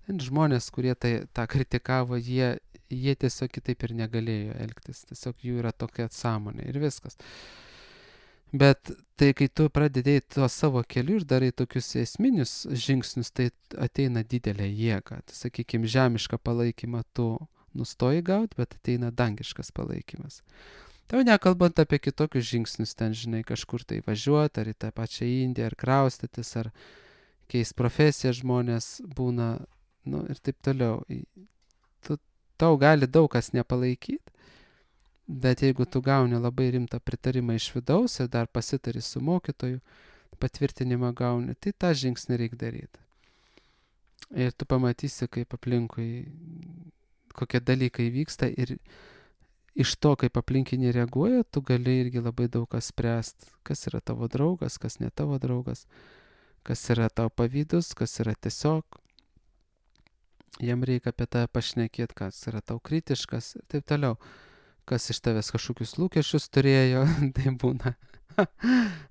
Ten žmonės, kurie tai, tą kritikavo, jie, jie tiesiog kitaip ir negalėjo elgtis, tiesiog jų yra tokia sąmonė ir viskas. Bet tai, kai tu pradedėjai tuo savo keliu ir darai tokius esminius žingsnius, tai ateina didelė jėga. Tai, sakykime, žemišką palaikymą tu nustoji gauti, bet ateina dangiškas palaikymas. Tau nekalbant apie kitokius žingsnius, ten, žinai, kažkur tai važiuoti, ar į tą pačią Indiją, ar kraustytis, ar keist profesiją žmonės būna, nu, ir taip toliau. Tu, tau gali daug kas nepalaikyti, bet jeigu tu gauni labai rimtą pritarimą iš vidaus ir dar pasitari su mokytoju, patvirtinimą gauni, tai tą žingsnį reikia daryti. Ir tu pamatysi, kaip aplinkui kokie dalykai vyksta ir iš to, kaip aplinkiniai reaguoja, tu gali irgi labai daug kas spręsti, kas yra tavo draugas, kas ne tavo draugas, kas yra tavo pavydus, kas yra tiesiog. Jam reikia apie tave pašnekėti, kas yra tau kritiškas ir taip toliau. Kas iš tavęs kažkokius lūkesčius turėjo, tai būna.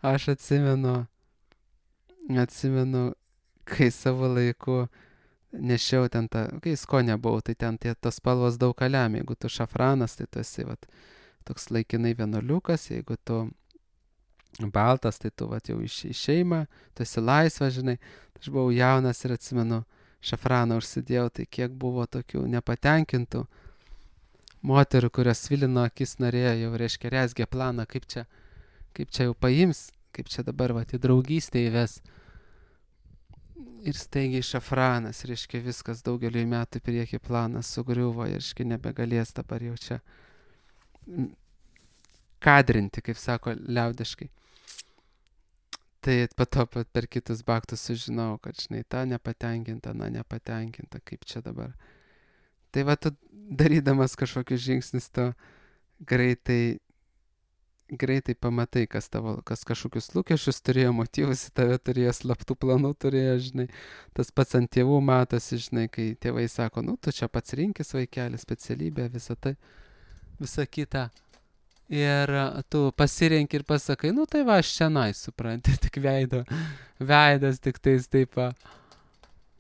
Aš atsimenu, atsimenu, kai savo laiku nešiau ten tą, kai skonė buvau, tai ten tie, tos spalvos daug ką lemia. Jeigu tu šafranas, tai tu esi vat, toks laikinai vienuoliukas, jeigu tu baltas, tai tu vat, jau iš, iš šeimą, tu esi laisvas, žinai. Aš buvau jaunas ir atsimenu, šafraną užsidėjau, tai kiek buvo tokių nepatenkintų moterų, kurios svilino akis, norėjo jau, reiškia, rezgė planą, kaip čia, kaip čia jau paims, kaip čia dabar vat, į draugystę įves. Ir staigiai šafranas, reiškia, viskas daugeliu metų prieki planas sugriuvo, reiškia, nebegalės dabar jau čia kadrinti, kaip sako liaudiškai. Tai po to per kitus baktus sužinau, kad, žinai, ta nepatenkinta, na nepatenkinta, kaip čia dabar. Tai va, tu darydamas kažkokius žingsnius, tu greitai greitai pamatai, kas tavo, kas kažkokius lūkesčius turėjo, motyvus į tave turėjo, slaptų planų turėjo, žinai. Tas pats ant tėvų matosi, žinai, kai tėvai sako, nu, tu čia pats rinkis vaikelį, specialybę, visą tai, visą kitą. Ir tu pasirenki ir pasakai, nu, tai va, aš šiandien, supranti, tik veido, veidas, tik tais taip,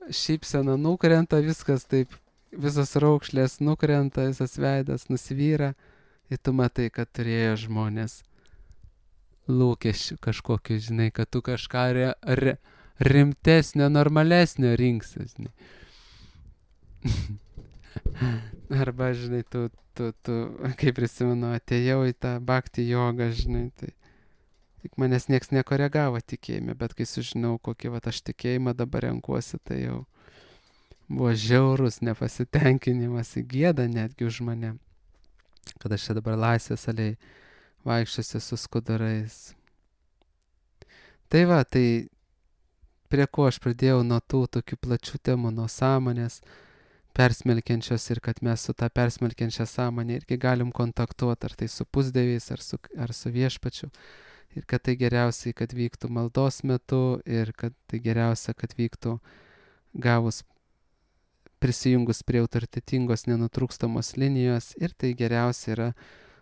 šypsena nukrenta, viskas taip, visos raukšlės nukrenta, visas veidas nusvyra. Ir tu matai, kad turėjo žmonės lūkesčių kažkokiu, žinai, kad tu kažką re, re, rimtesnio, normalesnio rinksi, žinai. Arba, žinai, tu, tu, tu, kaip prisimenu, atėjau į tą bhakti jogą, žinai, tai tik manęs nieks nekoregavo tikėjime, bet kai sužinau, kokį vat, aš tikėjimą dabar renkuosi, tai jau buvo žiaurus nepasitenkinimas, gėda netgi už mane, kad aš čia dabar laisvės aliai vaikščiosiu su skudurais. Tai va, tai prie ko aš pradėjau nuo tų tokių plačių temų, nuo sąmonės persmelkiančios ir kad mes su tą persmelkiančią sąmonę irgi galim kontaktuoti, ar tai su pusdieviais, ar su, ar su viešpačiu. Ir kad tai geriausiai, kad vyktų maldos metu ir kad tai geriausia, kad vyktų gavus prisijungus prie autoritetingos nenutrūkstamos linijos ir tai geriausia yra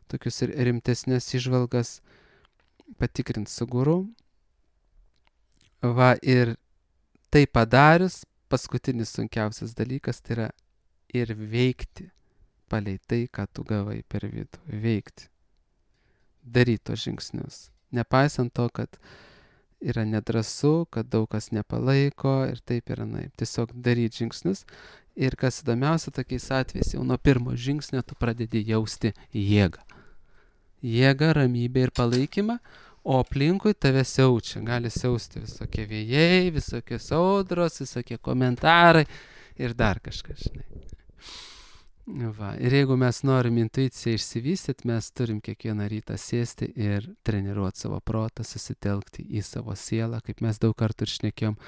tokius ir rimtesnės įžvalgas patikrinti su guru. Va ir tai padarius, paskutinis sunkiausias dalykas tai yra ir veikti palei tai, ką tu gavai per vidų. Veikti. Daryti tos žingsnius. Nepaisant to, kad yra nedrąsu, kad daug kas nepalaiko ir taip yra naip. Tiesiog daryti žingsnius. Ir kas įdomiausia, tokiais atvejais, jau nuo pirmo žingsnio tu pradedi jausti jėgą. Jėgą, ramybę ir palaikymą, o aplinkui tave siaučia. Gali siausti visokie vėjai, visokios audros, visokie komentarai ir dar kažkas, žinai. Va. Ir jeigu mes norim intuiciją išsivystyti, mes turim kiekvieną rytą sėsti ir treniruoti savo protą, susitelkti į savo sielą, kaip mes daug kartų ir šnekėjom.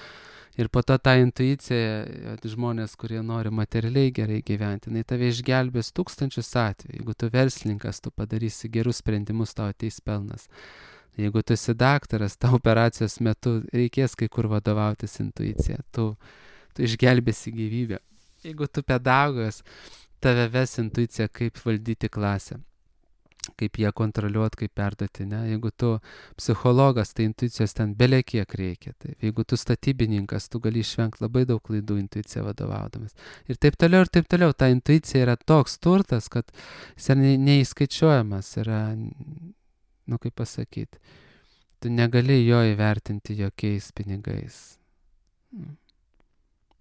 Ir po to tą intuiciją, žmonės, kurie nori materialiai gerai gyventi, jinai tave išgelbės tūkstančius atvejų. Jeigu tu verslininkas, tu padarysi gerus sprendimus, tau ateis pelnas. Jeigu tu esi daktaras, tau operacijos metu reikės kai kur vadovautis intuicija, tu, tu išgelbėsi gyvybę. Jeigu tu pedagogas, tave ves intuicija, kaip valdyti klasę, kaip ją kontroliuoti, kaip perduoti, ne? Jeigu tu psichologas, tai intuicijos ten belekiek reikia. Taip. Jeigu tu statybininkas, tu gali išvengti labai daug klaidų intuiciją vadovaudamas. Ir taip toliau, ir taip toliau. Ta intuicija yra toks turtas, kad jis yra neįskaičiuojamas, yra, nu kaip pasakyti, tu negali jo įvertinti jokiais pinigais.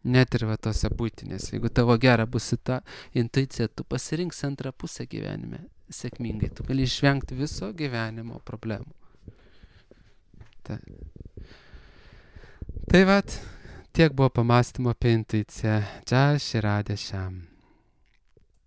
Net ir va tose būtinės. Jeigu tavo gera bus ta intuicija, tu pasirinksi antrą pusę gyvenime sėkmingai. Tu gali išvengti viso gyvenimo problemų. Ta. Tai vat, tiek buvo pamąstymo apie intuiciją. Čia Širadė šiam.